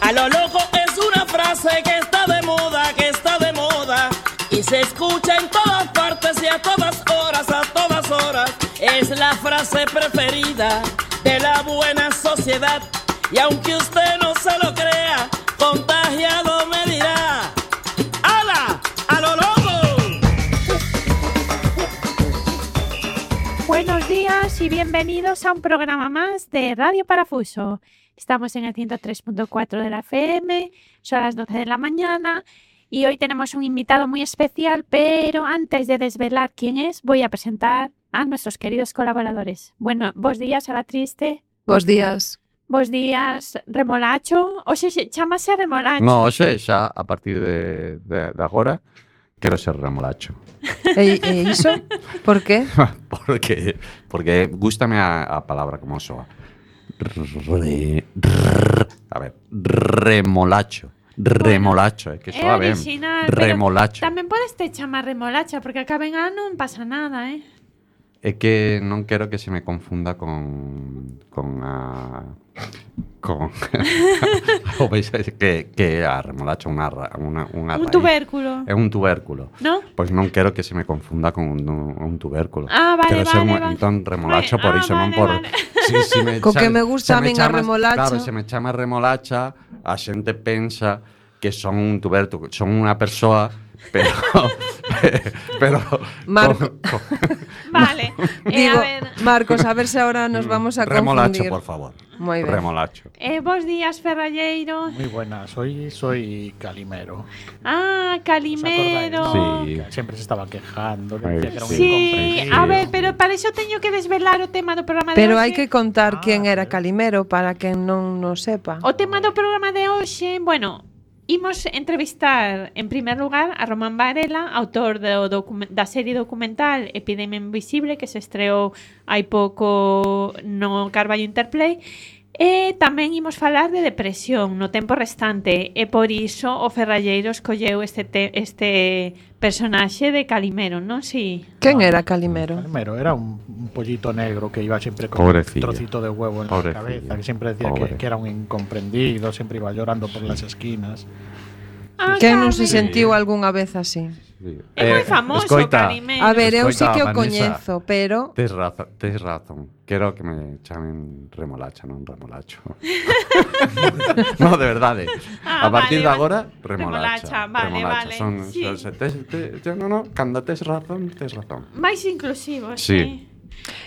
A lo loco es una frase que está de moda, y se escucha en todas partes y a todas horas. Es la frase preferida de la buena sociedad. Y aunque usted no se lo crea, contagiado me dirá: ¡hala! ¡A lo loco! Buenos días y bienvenidos a un programa más de Radio Parafuso. Estamos en el 103.4 de la FM, son las 12 de la mañana y hoy tenemos un invitado muy especial, pero antes de desvelar quién es, voy a presentar a nuestros queridos colaboradores. Bueno, bos días, Ala Triste. Bos días. Bos días, Remolacho. Oxe, chámase Remolacho. No, oxe, xa, a partir de agora, quero ser remolacho. E iso? Por qué? Porque gústame a palabra como soa. A ver, remolacho. Remolacho, que soa ben. Remolacho. Tamén podes te chamar remolacha, porque acá en A non pasa nada, É que non quero que se me confunda con o veis que a remolacha unha un raíz. tubérculo. É un tubérculo. ¿No? Pois non quero que se me confunda con un tubérculo. Ah, vale, quero ser vale. entón remolacho por iso, non por vale. Si me Co que me gusta a min a remolacha. Claro, se me chama remolacha, a xente pensa que son un tubérculo, son unha persoa, pero Marco. Vale. Digo, A ver, Marcos, a ver se ahora nos vamos a remolacho, confundir. por favor. Moi ben. Remolacho. bos días, Ferralleiro. Muy buenas, soy Calimero. Ah, Calimero. ¿Os Sí. acordáis? Que siempre se estaba quejando, que decía que era un Sí, incomprendido. a ver, pero para iso teño que desvelar o tema do programa de Pero hoxe. hai que contar Ah, quen era sí. Calimero para quen non o sepa. O tema do programa de hoxe, bueno, imos entrevistar en primer lugar a Román Varela, autor da serie documental Epidemia Invisible, que se estreou hai pouco no Carballo Interplay. E tamén imos falar de depresión no tempo restante, e por iso o Ferralleiro escolleu este personaxe de Calimero, non? Si. Quen era Calimero? Calimero era un pollito negro que iba siempre con Pobrecillo. un trocito de huevo en Pobrecillo. la cabeza, que siempre decía Pobre. que era un incomprendido, siempre iba llorando por las esquinas. Ah, Quen non se Carmen. sentiu algunha vez así? É moi famoso, escoita, Calimero. A ver, eu sí Escoita, que o Vanessa. coñezo, pero Tes razón. Quero que me chamen remolacha, non remolacho. No, de verdade. Ah, A partir vale, de agora, remolacha, remolacha. vale, vale, sí. Cando tes razón, tes razón. Máis inclusivo, Sí.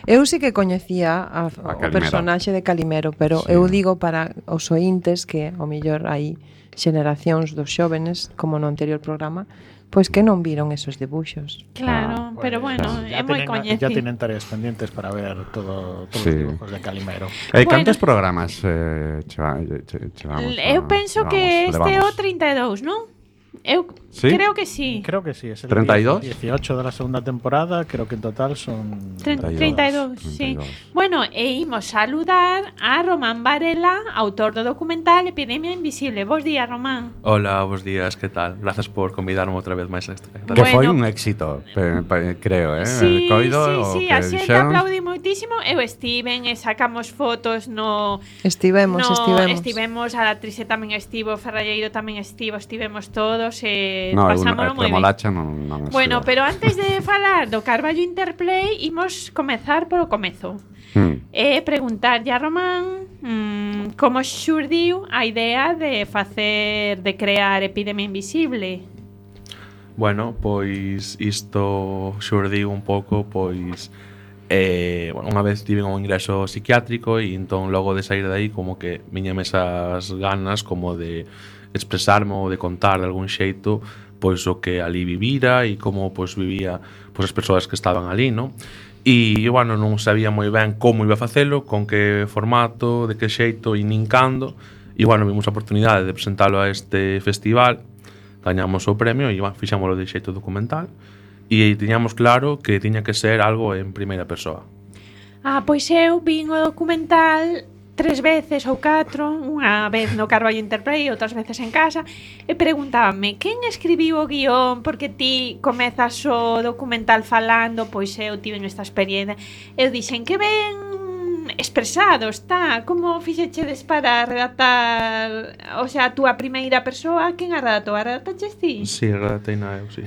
eu sí que coñecía o Calimero. personaxe de Calimero, pero Sí. eu digo para os ointes que ao mellor hai xeracións dos xóvenes, como no anterior programa, pois que non viron esos debuxos. Claro, pero bueno, é moi Ya coñecido. tienen tareas pendientes para ver todos Sí. los dibujos de Calimero. Bueno. Cantos programas chevamos? Eu penso que este é o levamos? 32, non? Eu Sí? creo que sí. Creo que sí, es el 32. 18 de la segunda temporada, creo que en total son 32, sí. 32. Bueno, e imos saludar a Román Varela, autor do documental Epidemia Invisible. Bos días, Román. Hola, buenos días, ¿qué tal? Gracias por convidarme outra vez máis a esta. Que Bueno. foi un éxito, creo, Sí, Coido, sí, o a que xente dixeron. aplaudi moitísimo. Eu estiven e sacamos fotos no... Estivemos. Estivemos, a actriz tamén estivo, Ferralleiro tamén estivemos todos e No, pasámolo moi ben. remolacha non Bueno, estivo. pero antes de falar do Carballo Interplay, imos comezar polo comezo. E preguntarlle a Román como xurdiu a idea de crear Epidemia Invisible. Bueno, pois isto xurdiu un pouco, pois unha vez tive un ingreso psiquiátrico e entón logo de sair de aí como que viñame esas ganas como de expresarme ou de contar de algún xeito pois o que ali vivira e como pois vivía pois as persoas que estaban ali, non? E, bueno, non sabía moi ben como iba a facelo, con que formato, de que xeito e nin cando. E, bueno, vimos a oportunidade de presentalo a este festival, gañamos o premio e, bueno, fixámoslo de xeito documental. E tiñamos claro que tiña que ser algo en primeira persoa. Ah, pois eu vin o documental 3 veces ou 4, unha vez no Carballo Interplay e outras veces en casa, e preguntábame quen escribiu o guión, porque ti comezas o documental falando, pois eu tiven esta experiencia. Eu dixen que ben expresado, está. Como fixechedes para redactar, o sea, a túa primeira persoa, quen a redactou? A redactaches ti? Sí, redactei na eu, sí.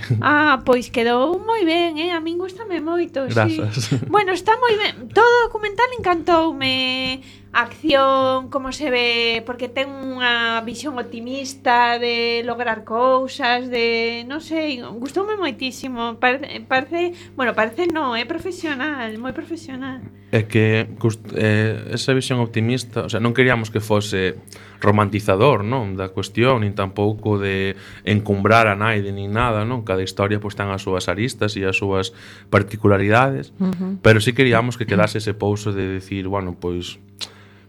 Pois quedou moi ben, a min gustame moito. Grazas. Sí. Bueno, está moi ben. Todo o documental encantoume. A acción, como se ve, porque ten unha visión optimista de lograr cousas, de, non sei, gustoume moitísimo. Parece non, é profesional, moi profesional. É que esa visión optimista, o sea, non queríamos que fose romantizador, non, da cuestión, nin tampouco de encumbrar a naide nin nada, non? Cada historia pois ten as súas aristas e as súas particularidades, pero sí queríamos que quedase ese pouso de decir, bueno, pois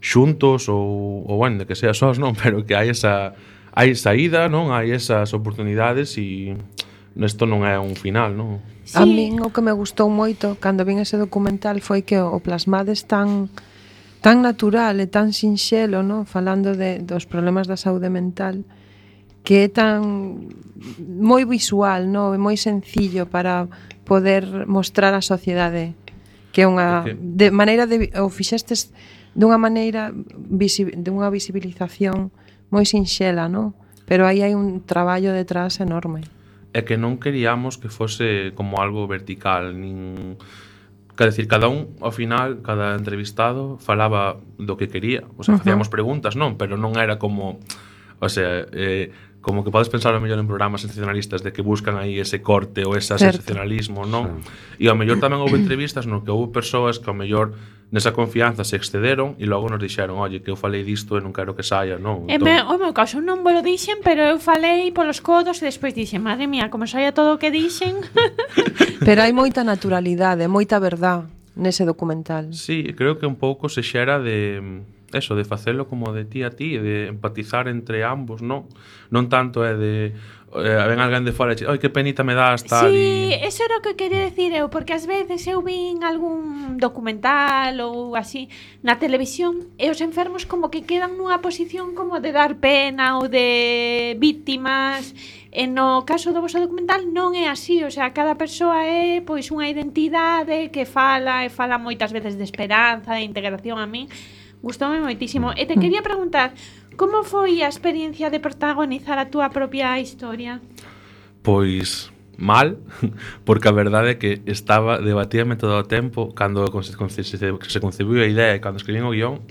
xuntos ou bueno, de que sea sós, non, pero que hai saída, non? Hai esas oportunidades e isto non é un final, non? Sí. A min o que me gustou moito cando vin ese documental foi que o plasmades tan natural e tan sinxelo, non? Falando dos problemas da saúde mental, que é tan moi visual, non? É moi sencillo para poder mostrar á sociedade que é unha de maneira de o fixestes dunha maneira dunha visibilización moi sinxela, non? Pero aí hai un traballo detrás enorme. É que non queríamos que fose como algo vertical, nin... Quer decir, cada un, ao final, cada entrevistado falaba do que quería. O sea, facíamos preguntas, non? Pero non era como... O sea, como que podes pensar ao mellor en programas sensacionalistas de que buscan aí ese corte ou ese sensacionalismo, non? E ao mellor tamén houve entrevistas no que houve persoas que ao mellor nesa confianza se excederon e logo nos dixeron, oye, que eu falei disto e non quero que saia, non? O meu caso non me lo dixen, pero eu falei polos codos e despois dixen, madre mía, como saia todo o que dixen. Pero hai moita naturalidade, moita verdad nese documental. Sí, creo que un pouco se xera de eso, de facelo como de ti a ti, de empatizar entre ambos, non? Non tanto é de ven alguén de fora e oi, que penita me das, tal. Sí, eso era o que quería decir eu, porque ás veces eu vin algún documental ou así na televisión e os enfermos como que quedan nunha posición como de dar pena ou de víctimas. E no caso do vosso documental non é así, o sea, cada persoa é pois unha identidade que fala moitas veces de esperanza, de integración. A min gustoume moitísimo. E te quería preguntar, como foi a experiencia de protagonizar a túa propia historia? Pois mal, porque a verdade é que debatíame todo o tempo cando se concebiu a idea e cando escribín o guión,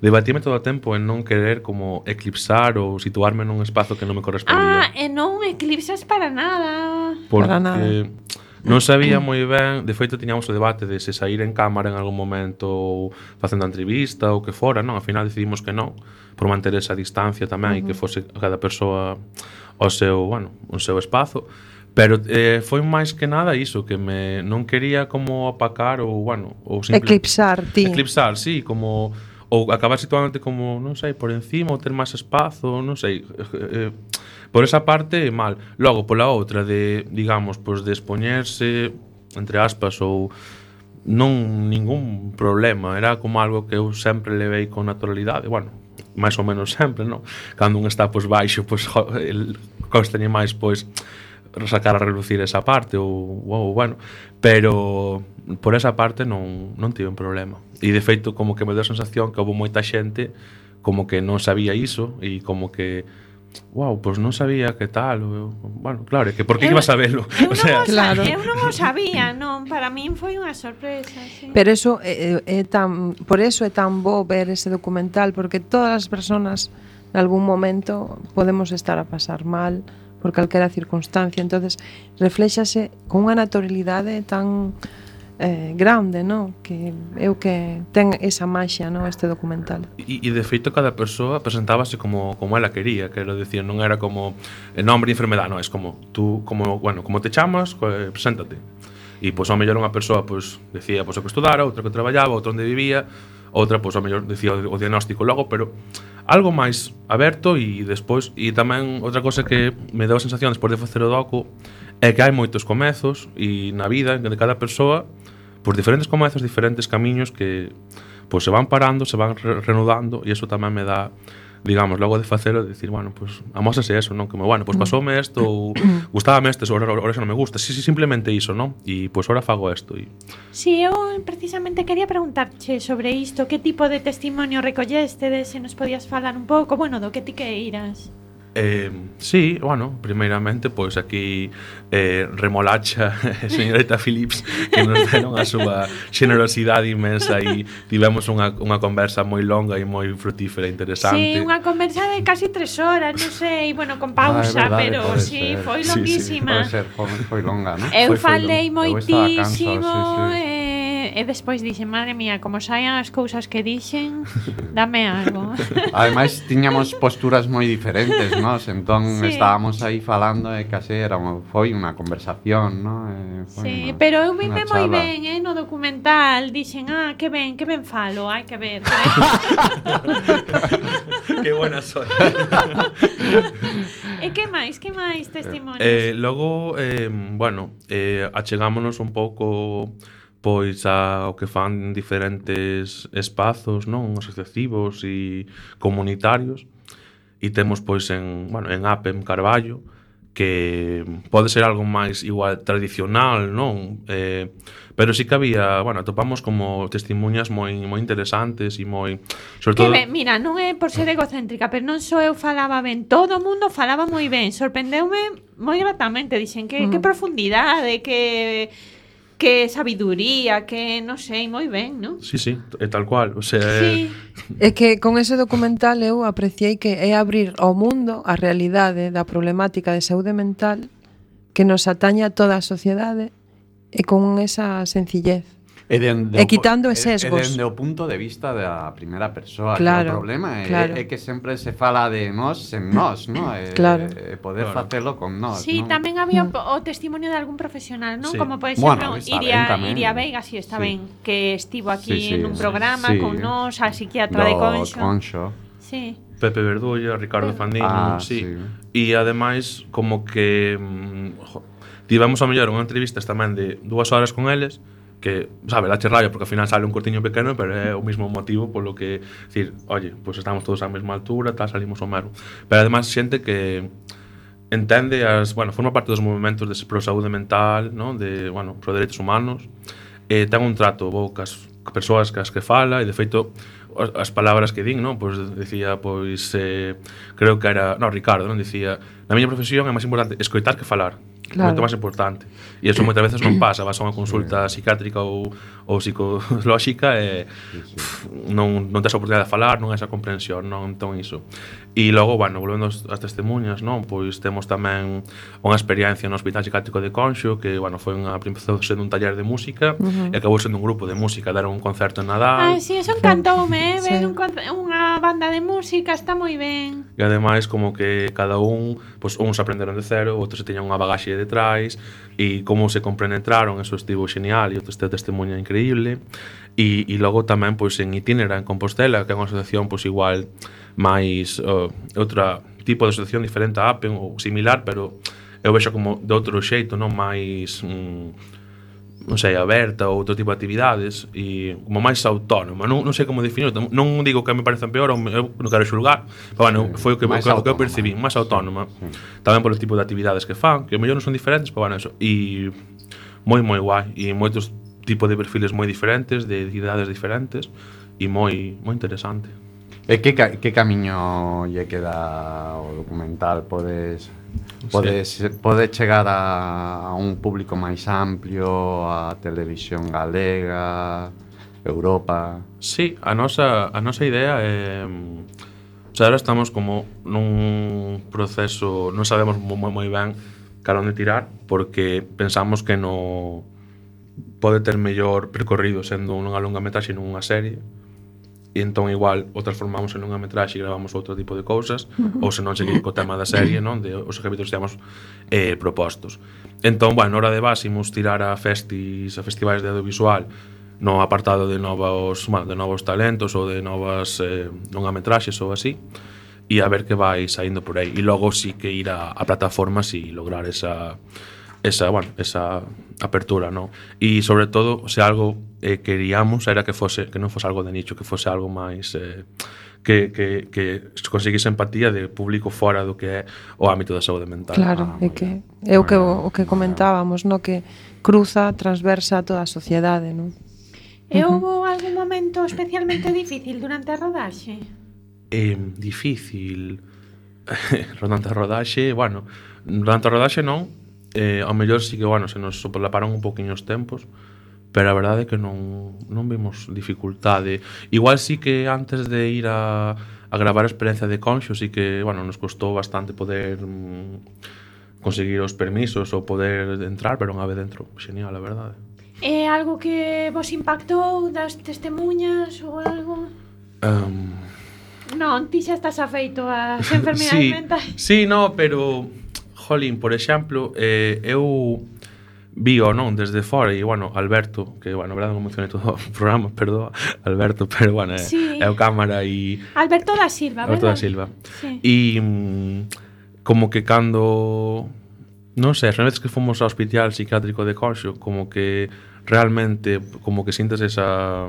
debatíame todo o tempo en non querer como eclipsar ou situarme nun espazo que non me correspondía. E non eclipsas para nada. Porque para nada. Non sabía moi ben, de feito tiñamos o debate de se sair en cámara en algún momento ou facendo a entrevista ou que fora, non? Ao final decidimos que non, por manter esa distancia tamén e que fose cada persoa o seu espazo. Pero foi máis que nada iso, que non quería como apacar ou eclipsar, ti. Eclipsar, sí, como ou acabar situándote como, non sei, por encima ou ter máis espazo, non sei. Por esa parte, mal. Logo, pola outra, de, digamos, pois de expoñerse, entre aspas, ou non ningún problema. Era como algo que eu sempre levei con naturalidade. Bueno, máis ou menos sempre, non? Cando un está, pois, baixo, pois, costañe máis, pois, sacar a relucir esa parte, bueno. Pero, por esa parte, non tive un problema. E, de feito, como que me deu a sensación que houve moita xente como que non sabía iso e como que pois non sabía que tal. Bueno, claro, que por que iba a sabelo? Eu non o sabía, non, para min foi unha sorpresa, sí. Pero eso por eso é tan bo ver ese documental, porque todas as persoas en algún momento podemos estar a pasar mal por calquera circunstancia, entonces refléxase con unha naturalidade tan grande, non? Que é o que ten esa maxia, non? Este documental. E de feito cada persoa presentábase como ela quería, quero decir, non era como nombre e enfermedade, non, é como tú, como te chamas, preséntate. E pois ao mellor unha persoa pois decía pois o que estudara, outra que traballaba, outra onde vivía, outra pois ao mellor decía o diagnóstico logo, pero algo máis aberto. E despois, e tamén outra cosa que me deu a sensación despois de facer o docu é que hai moitos comezos e na vida de cada persoa, pois diferentes comezos, diferentes camiños que pois se van parando, se van reanudando, e iso tamén me dá digamos, logo de facelo, de decir, bueno, pues amósase eso, non? Como, bueno, pues pasoume isto ou gustábame isto, ora xa non me gusta. Sí, simplemente iso, non? E pues ora fago isto. Si, eu precisamente quería preguntarche sobre isto, que tipo de testimonio recolleste, se nos podías falar un pouco, bueno, do que ti queiras. Sí, bueno, primeiramente, pois aquí Remolacha e señorita Phillips que nos deron a súa xenerosidade inmensa e tivemos unha conversa moi longa e moi frutífera e interesante. Sí, unha conversa de casi 3 horas, non sei, bueno, con pausa, verdade, pero sí, ser. foi longuísima. Pode ser, foi longa, non? Eu Foi falei longa. moitísimo sí. E despois dixen, madre mía, como saian as cousas que dixen, dame algo. Ademais, tiñamos posturas moi diferentes, nós, entón Sí. estábamos aí falando e case foi unha conversación, non? Sí, pero eu vime moi ben, no documental, dixen, que ben falo, hai que ver. Que buena soy. E que máis testimonios? Logo, bueno, achegámonos un pouco pois ao que fan diferentes espazos, non, asociativos e comunitarios. E temos pois en APEM Carballo, que pode ser algo máis igual tradicional, non? Pero sí que había, bueno, atopamos como testimuñas moi interesantes e moi, sobre todo. Que ben, mira, non é por ser egocéntrica, pero non só eu falaba ben, todo o mundo falaba moi ben, sorprendeume moi gratamente, dixen que profundidade, que sabiduría, que non sei, moi ben, non? Sí, é tal cual, o sea, Sí. É que con ese documental eu apreciei que é abrir ao mundo a realidade da problemática de saúde mental que nos atañe a toda a sociedade e con esa sencillez. E quitando sesgos. E dende o punto de vista da primeira persoa. Claro, que o problema claro. é que sempre se fala de nós en nós, non? Claro. E poder facelo con nós, Sí, non? tamén había o testimonio de algún profesional, non? Sí. Como por Bueno, exemplo, está ben tamén. Iria Veiga, si está Sí. ben, que estivo aquí Sí, en un programa sí. con nós, a psiquiatra de Conxo. Sí. Pepe Verdulla, Ricardo Fandino, sí. E ademais como que tivemos a mellor unha entrevista tamén de 2 horas con eles, que, sabe, la rayo porque ao final sale un cortiño pequeno, pero é o mismo motivo polo que decir, oye, pues estamos todos á mesma altura, tal, salimos ao mesmo. Pero además xente que entende forma parte dos movementos de pro saúde mental, non? De, pro dereitos humanos, ten un trato bo cas persoas cas que fala e de feito as palabras que din, non? Pois decía, creo que era, Ricardo, non? Dicía, na miña profesión é máis importante escoitar que falar. Claro. Moito máis importante. E iso moitas veces non pasa, vas a unha consulta psiquiátrica ou psicolóxica e non tes a oportunidade de falar, non hai esa comprensión, non? Entón iso. E logo, volvendo ás testemunhas, non? Pois temos tamén unha experiencia no Hospital Psiquiátrico de Conxo que, foi empezou sendo un taller de música e acabou sendo un grupo de música, deron un concerto en Nadal. Si, eso encantoume, ver unha banda de música, está moi ben. E ademais como que cada un, uns aprenderon de cero, outros se teñan unha bagaxe detrás e como se compenetraron, eso estivo genial e outro este testemunha increíble. E logo tamén en Itinera en Compostela, que é unha asociación igual máis outra tipo de asociación diferente a APEN ou similar, pero eu vexo como de outro xeito, non máis non sei, aberta ou outro tipo de actividades e como máis autónoma, non sei como definir, non digo que me parecen peor ou eu non quero xulgar, pero foi o que eu percibí, máis autónoma, tamén polo tipo de actividades que fan, que mellor non son diferentes, pero eso, e moi guai, e moitos tipos de perfiles moi diferentes, de idades diferentes, e moi interesante. E que camiño lle queda o documental? Pode chegar a un público máis amplio, a televisión galega, Europa? Sí, a nosa idea é... ahora estamos como nun proceso, non sabemos moi ben cara onde tirar, porque pensamos que non pode ter mellor percorrido sendo unha longametraxe non unha serie, e entón igual o transformamos en unha metraxe e gravamos outro tipo de cousas, ou se non seguir co tema da serie, non? De os capítulos que temos propostos. Entón, hora de base imos tirar a festivais de audiovisual no apartado de novos talentos ou de novas longametraxes ou así, e a ver que vai saindo por aí. E logo sí que ir a plataformas e lograr esa apertura, non? E sobre todo, se algo queríamos era que non fose algo de nicho, que fose algo máis que conseguís empatía de público fora do que é o ámbito da saúde mental. Claro, é que é o que comentábamos, no, que cruza, transversa toda a sociedade, non? E houve algún momento especialmente difícil durante a rodaxe? Difícil. Durante a rodaxe, bueno, durante a rodaxe non, ao mellor sí que, bueno, se nos solaparon un poquinho os tempos, pero a verdade é que non vimos dificultade. Igual sí que antes de ir a gravar a experiencia de Conxo sí que, bueno, nos costou bastante poder conseguir os permisos ou poder entrar, pero unha vez dentro, genial, a verdade. É algo que vos impactou das testemunhas ou algo? Non, ti xa estás afeito ás enfermidades mentais. Sí, no, pero jolín, por exemplo, eu vío, non, desde fora, e, bueno, Alberto, que, bueno, a verdade non mencionei todo o programa, perdón, Alberto, pero, bueno, sí. É o cámara e... Alberto da Silva, Alberto verdad? da Silva. Sí. E como que cando... Non sei, as veces que fomos ao hospital psiquiátrico de Conxo, como que realmente, como que sintes esa...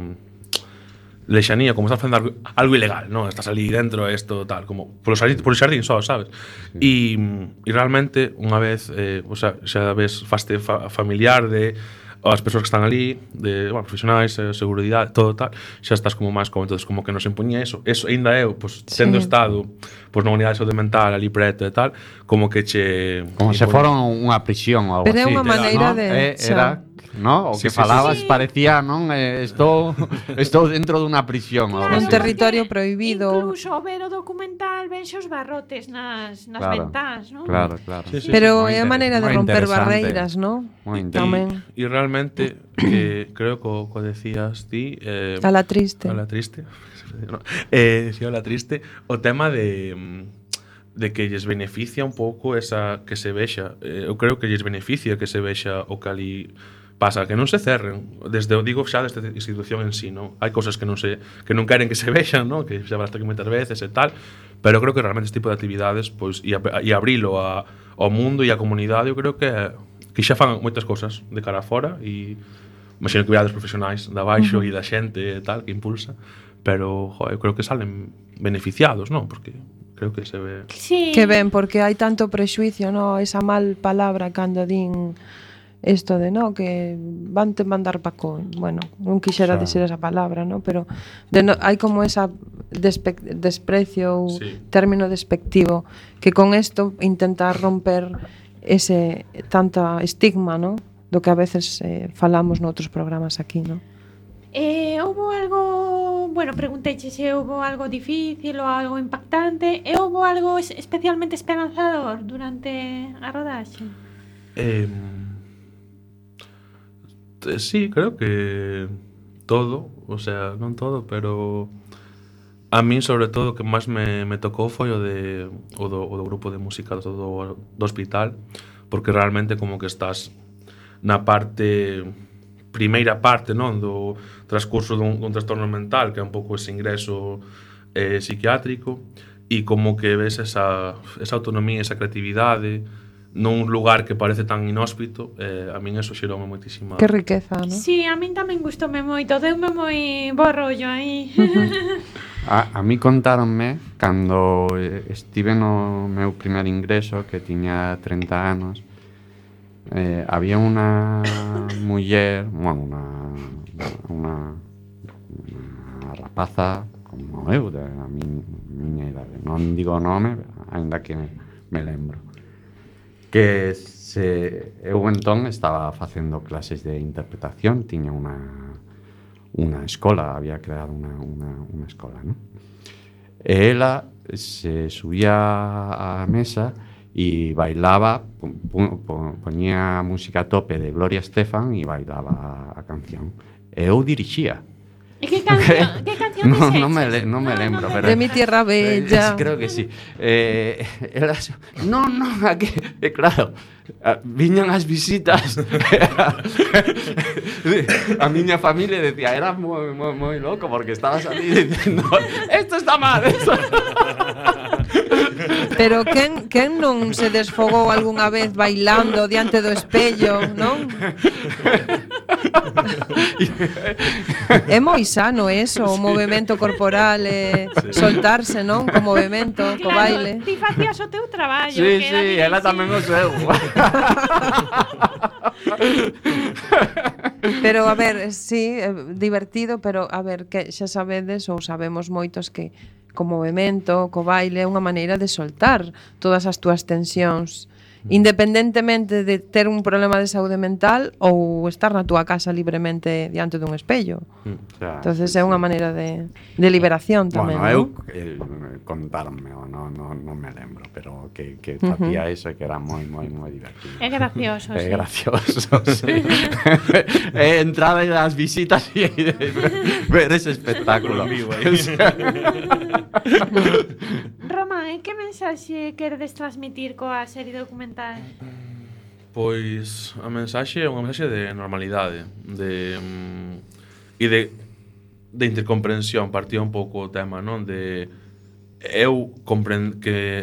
lexanía, como estás facendo algo ilegal, non? Estás ali dentro, isto, tal, como por xardín só, sabes? E realmente, unha vez, o sea, xa ves, faste familiar de as persoas que están ali, de, bueno, profesionais, seguridade, todo tal, xa estás como máis como, entonces, como que nos impuña eso ainda eu, pues, tendo estado pues, na unidade de saúde mental ali preto e tal, como que che... Como se foron unha prisión ou algo Pero é así. unha maneira ¿no? de... Era... ¿no? O Sí, que falabas sí. parecía, non? Estou dentro dunha prisión ou algo Un así. territorio prohibido. Incluso ver o documental venxe os barrotes nas ventás, non? Claro. Sí, sí. Pero Moi é a maneira de moi romper interesante. barreiras, ¿no? Moi Tamén. E realmente, que creo que decías ti... A la triste. A la triste. No. Sí, a la triste. O tema de que lles beneficia un pouco esa que se vexa. Eu creo que lles beneficia que se vexa o que ali pasa, que non se cerren. Desde, digo xa desta institución en sí, non? Hai cousas que non queren que se vexan, non? Que xa basta que meter veces e tal, pero creo que realmente este tipo de actividades, pois, e abrilo ao mundo e á comunidade, eu creo que xa fan moitas cousas de cara a fora e imagino que virades profesionais da baixo e da xente e tal, que impulsa, pero, eu creo que salen beneficiados, non? Porque creo que se ve... Sí. Que ben, porque hai tanto prexuicio, no? Esa mal palabra cando din isto de, no, que vante mandar paco. Bueno, non quixera dicir esa palabra, no? Pero hai como esa desprecio ou término despectivo que con isto intenta romper ese tanta estigma, no? Do que a veces falamos noutros programas aquí, no? Houbo algo, bueno, pregunteiche se houbo algo difícil ou algo impactante, e houbo algo especialmente esperanzador durante a rodaxe? Sí, creo que todo, o sea, non todo, pero a min sobre todo o que máis me tocou foi o do grupo de música do hospital, porque realmente como que estás na primeira parte, non, do transcurso dun trastorno mental, que é un pouco ese ingreso psiquiátrico, e como que ves esa autonomía, esa creatividade nun lugar que parece tan inhóspito, a min eso xeroume moitísima... Que riqueza, non? Sí, a min tamén gustoume moito, deume moi bo rollo aí. A mí contáronme cando estive no meu primer ingreso, que tiña 30 anos, había unha muller, bueno, unha rapaza como eu, da miña idade, non digo o nome, ainda que me lembro, que eu entón estaba facendo clases de interpretación, tiña unha escola, había creado unha escola, non? E ela se subía á mesa e bailaba, poñía música a tope de Gloria Estefan e bailaba a canción. E eu dirixía. E que canción non me lembro, pero de mi tierra bella. Creo que sí. Ela non, aquí, claro, viñan as visitas. A miña familia decía, era moi loco porque estabas ali dicindo, esto está mal, esto. Pero quen non se desfogou algunha vez bailando diante do espello, non? É moi sano eso, o movemento corporal soltarse, non? Co movemento, co baile. Ti facías o teu traballo. Sí, que era sí, ela tamén o seu. Pero, a ver, sí, divertido, pero, a ver, que xa sabedes ou sabemos moitos que co movemento, co baile, é unha maneira de soltar todas as túas tensións, independentemente de ter un problema de saúde mental ou estar na túa casa libremente diante dun espello. Entonces é unha maneira de liberación tamén, bueno, non? contaronme, non me lembro, pero que facía eso que era moi divertido. É gracioso, É sí. gracioso, sí. Entrada das visitas e ver ese espectáculo. Román, que mensaxe queredes transmitir coa serie documental? Pois a mensaxe é unha mensaxe de normalidade, e de intercomprensión. Partía un pouco o tema, non? De eu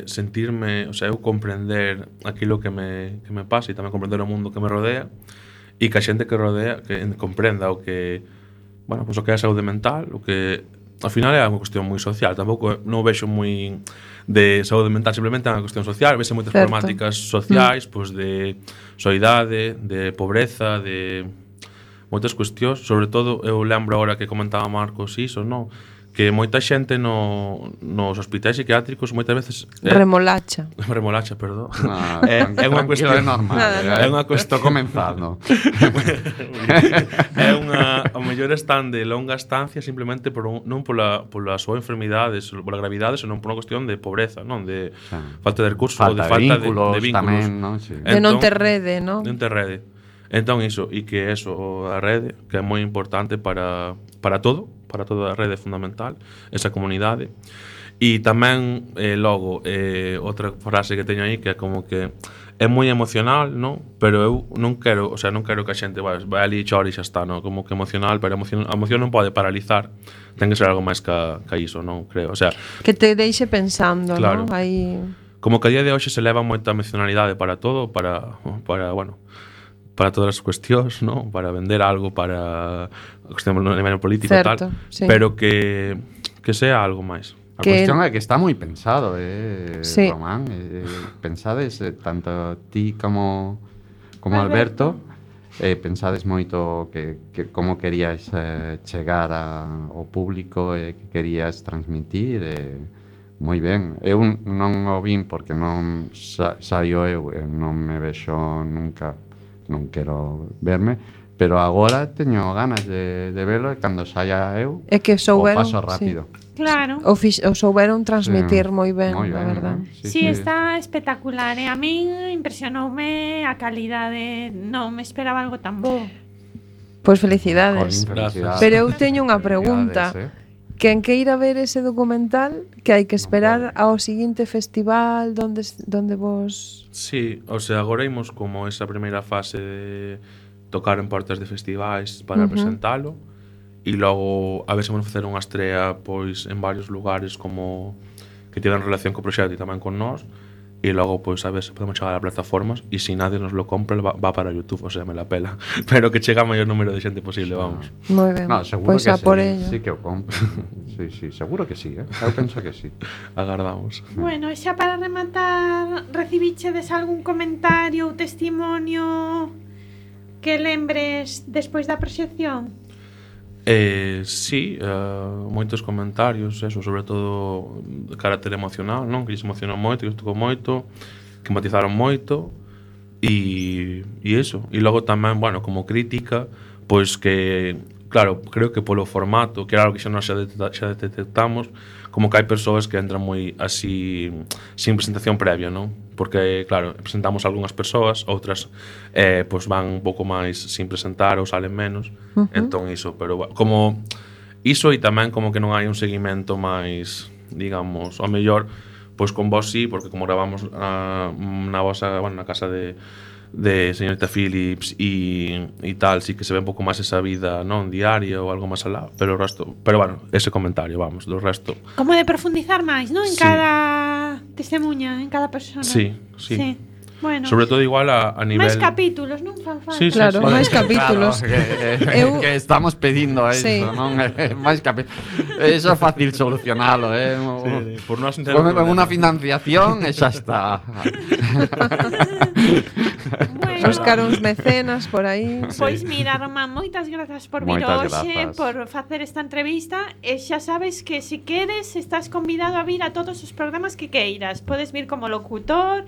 sentirme, o sea, eu comprender aquilo que me pasa e tamén comprender o mundo que me rodea, e que a xente que rodea que comprenda o que, bueno, pois o que é a saúde mental, o que ao final é unha cuestión moi social. Tampouco non o vexo moi de saúde mental, simplemente é unha cuestión social. Vese moitas problemáticas sociais, pois de soidade, de pobreza, de moitas cuestións. Sobre todo, eu lembro agora que comentaba Marcos iso, non? Que moita xente nos hospitais psiquiátricos moitas veces Remolacha, perdón. É unha cuestión normal. É unha Estou cuestión comenzando. É ao mellor están de longa estancia simplemente non pola súa enfermidade, pola gravidade, senón por unha cuestión de pobreza, non? De falta de recursos, ou de falta de vínculos tamén, non? Sí. de non ter rede, non? Non ter rede. Entón iso, e que eso, a rede, que é moi importante para todo, para toda a rede fundamental, esa comunidade. E tamén, logo, outra frase que teño aí, que é como que é moi emocional, non? Pero eu non quero, o sea, non quero que a xente vai ali e chore e xa está, non? Como que emocional, pero a emoción non pode paralizar. Ten que ser algo máis que iso, non? Creo, o sea, Que te deixe pensando, claro, non? Aí como que a día de hoxe se leva moita emocionalidade para todo, para bueno, para todas as cuestións, non? Para vender algo, para a cuestión no nivel político e tal, sí. pero que sea algo máis. A cuestión é que está moi pensado, sí. Román. Pensades, tanto ti como Alberto, pensades moito que como querías chegar ao público e que querías transmitir. Moi ben. Eu non o vin porque non saio eu, non me vexo nunca, non quero verme, pero agora teño ganas de velo e cando saia eu é que souberon, o paso rápido. Sí. Claro. O souberon transmitir moi ben, a verdad. ¿no? Sí, está espectacular. A min impresionoume a calidade. Non me esperaba algo tan bo. Pois felicidades. Felicidades. Pero eu teño unha pregunta. Quen que ir a ver ese documental, que hai que esperar ao seguinte festival donde vos... Sí, o sea, agora imos como esa primeira fase de tocar en portas de festivais para presentalo, e logo a ver se vamos facer unha estrea pois en varios lugares como que tiven relación co proxecto e tamén con nós, e logo pois a ver se podemos chegar a plataformas, e se nadie nos lo compra va para YouTube, o sea, me la pela, pero que chega a maior número de xente posible, vamos. Moi ben. No, seguro pois que a por ello. sí que o compro. Sí, seguro que sí, Eu penso que sí. Agardamos. Bueno, e xa para rematar, recibichedes algún comentario ou testimonio que lembres despois da proxección? Sí, moitos comentarios, eso, sobre todo de carácter emocional, non? Que lles emocionou moito, que lles tocou moito, que matizaron moito, e eso. E logo tamén, bueno, como crítica, pois que, claro, creo que polo formato, que era algo que xa nós xa detectamos, como que hai persoas que entran moi así, sin presentación previa, non? Porque, claro, presentamos algunhas persoas, outras pois van un pouco máis sin presentar ou salen menos, entón iso, pero bueno, como iso, e tamén como que non hai un seguimento máis, digamos, ao mellor, pois con vos sí, porque como gravamos na vosa, bueno, na casa de señorita Phillips e tal, sí que se ve un pouco máis esa vida non diaria ou algo máis alá, pero o resto, pero bueno, ese comentario, vamos, do resto. Como de profundizar máis, non? En Sí. cada testemunha, en cada persona. Sí. Bueno, Sobre todo igual a nivel... máis capítulos, non fan falta. Sí, sí, Claro, sí. máis capítulos. Claro, Eu- que estamos pedindo eso, Sí. non? Máis eso é fácil solucionalo, Sí, por nós non ten Con problema. unha financiación e xa está. Bueno, Buscar uns mecenas por aí. pois mira, Román, moitas grazas por vir Moitas hoxe, grazas. por facer esta entrevista. E xa sabes que se queres, estás convidado a vir a todos os programas que queiras. Podes vir como locutor,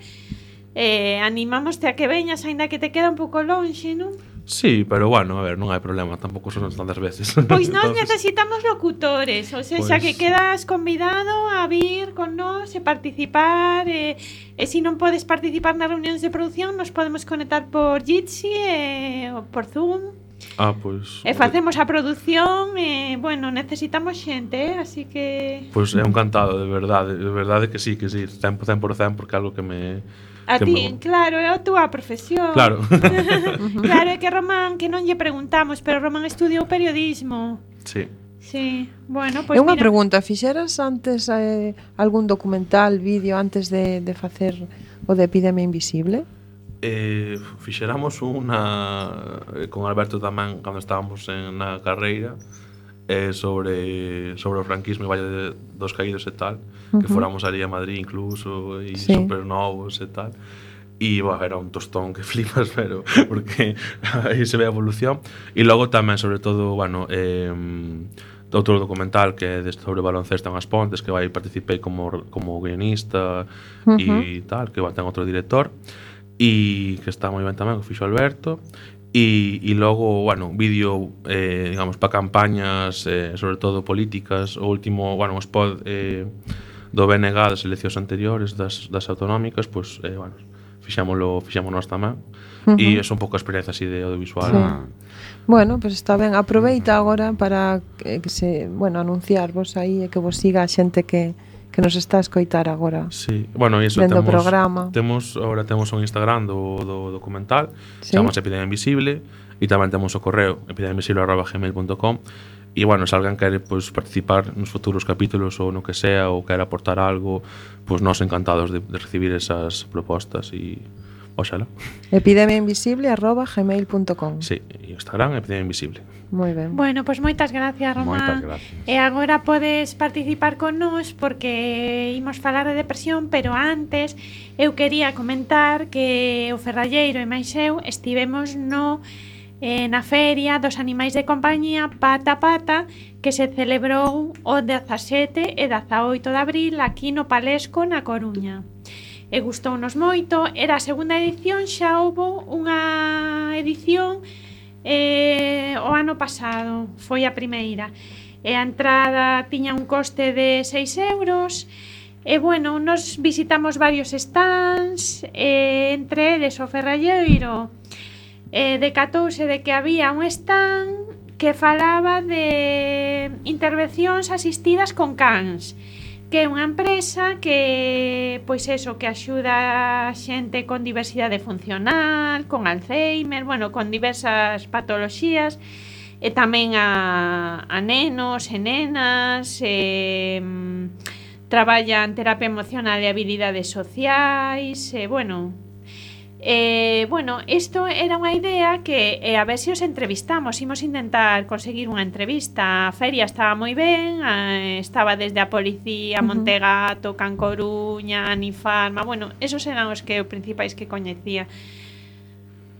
animámoste a que veñas, aínda que te queda un pouco lonxe, non? Sí, pero bueno, a ver, non hai problema, tampouco son tantas veces. Pois nós Entonces, necesitamos locutores, ou seja, Pois- que quedas convidado a vir con nós e participar, e se non podes participar nas reunións de produción, nos podemos conectar por Jitsi ou por Zoom, pois... e facemos a produción, e, bueno, necesitamos xente, así que... Pois é un cantado, de verdade que sí, 100%, porque é algo que me... A que ti, me- claro, é a túa profesión. Claro. Claro, é que Román, que non lle preguntamos, pero Román estudiou periodismo. Sí. Sí, bueno, pois É unha mira, pregunta, fixeras antes algún documental, vídeo antes de facer o de Epidemia Invisible? Fixéramos unha con Alberto tamén cando estábamos na carreira sobre o franquismo e Valle dos Caídos e tal, que fóramos ali a Madrid incluso e Sí. super novos e tal. E bueno, era un tostón que flipas, pero porque aí se ve a evolución. E logo tamén, sobre todo, bueno, outro documental que é sobre baloncesto en As Pontes, que vai participei como guionista e tal, que ten outro director e que está moi ben tamén, que fixo Alberto. E logo, bueno, vídeo, digamos, para campañas, sobre todo políticas. O último, bueno, o spot do BNG das eleccións anteriores, das autonómicas, pois, bueno, fixámonos tamén. E é un pouco a experiencia así de audiovisual. Sí. Bueno, pues está ben. Aproveita agora para anunciarvos aí e que vos siga a xente que nos está a escoitar agora. Sí, bueno, e iso Vendo o programa. Ahora temos un Instagram do documental, Sí. chamase Epidemia Invisible, e tamén temos o correo epidemiainvisible@gmail.com. E bueno, se alguén quere pois, participar nos futuros capítulos ou no que sea, ou quere aportar algo, pois nós encantados de recibir esas propostas e oxala. epidemiainvisible@gmail.com. Sí, e Instagram Epidemia Invisible. Moi ben. Bueno, pois moitas gracias, Román. Moitas gracias. E agora podes participar con nós porque imos falar de depresión, pero antes eu quería comentar que o Ferralleiro e máis eu estivemos na feria dos animais de compañía Pata a Pata, que se celebrou o 17 e 18 de abril aquí no Palesco, na Coruña. E gustounos moito, era a segunda edición, xa houbo unha edición o ano pasado, foi a primeira. E a entrada tiña un coste de 6 euros. E bueno, nos visitamos varios stands, entre eles o Ferralleiro. Decatouse de que había un stand que falaba de intervencións asistidas con cans, que é unha empresa que, pois eso, que axuda a xente con diversidade funcional, con Alzheimer, bueno, con diversas patoloxías, e tamén a nenos e nenas, traballan terapia emocional e habilidades sociais, bueno, isto era unha idea que a ver se os entrevistamos. Imos intentar conseguir unha entrevista. A feria estaba moi ben, estaba desde a Policía, Montegato, Can Coruña, Anifarma. Bueno, esos eran os principais que coñecía.